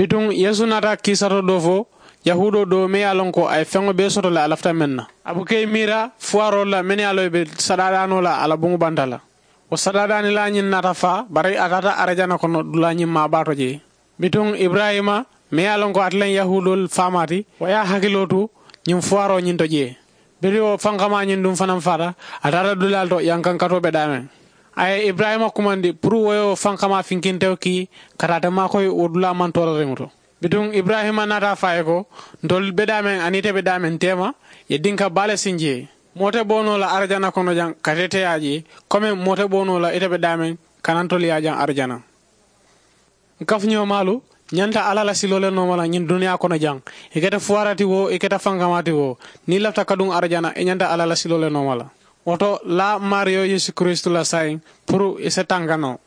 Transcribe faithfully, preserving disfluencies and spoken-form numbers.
Bituŋ yeesu naata kiisato doo fo yahuudoo doo meŋ ye a loŋ ko a ye feŋo bee soto le a lafita meŋ na. A buka i miira fuwaaroolu la mennu ye a loŋ i be sadaadaanoo la a la buŋo banta la. Wo sadaadaanilaa ñiŋ naata faa bari a taata arijana kono dulaa ñiŋ maabaa to jee. Bituŋ iburayima meŋ ye a loŋ ko ate le ye yahuudoolu faamaa ti wo ye a hakiloo tu ñiŋ fuwaaroo ñiŋ to jee. Biri wo fankamaa ñiŋ duŋ fanaŋ faata a taata dulaalu to yankankatoo be daameŋ. A ye iburayima kumandi puru wo ye wo fankamaa finkintewo kii ka taa te maakoyi wo dulaa maŋ toorariŋo to. Bituŋ iburayima naata a fo a ye ko, ntolu be daameŋ aniŋ ite be daameŋ teema ye dinka baa le sinji ye. Moo te bo noo la arijana kono jaŋ ka te teyaa jee komi moo te bo noo la ite be daameŋ ka naŋ ntolu ye a jaŋ arijana. N kafuñoo maalu ñanta alla la siloo le nooma la ñiŋ duniyaa kono jaŋ. I keta fuwaara ti woo i keta fankamaa ti woo niŋ i lafita kaduŋ arijana i ñanta alla la siloo le nooma la. Wo to laa maariyo yeesu kiristu la saayiŋ puru i si tanka noo.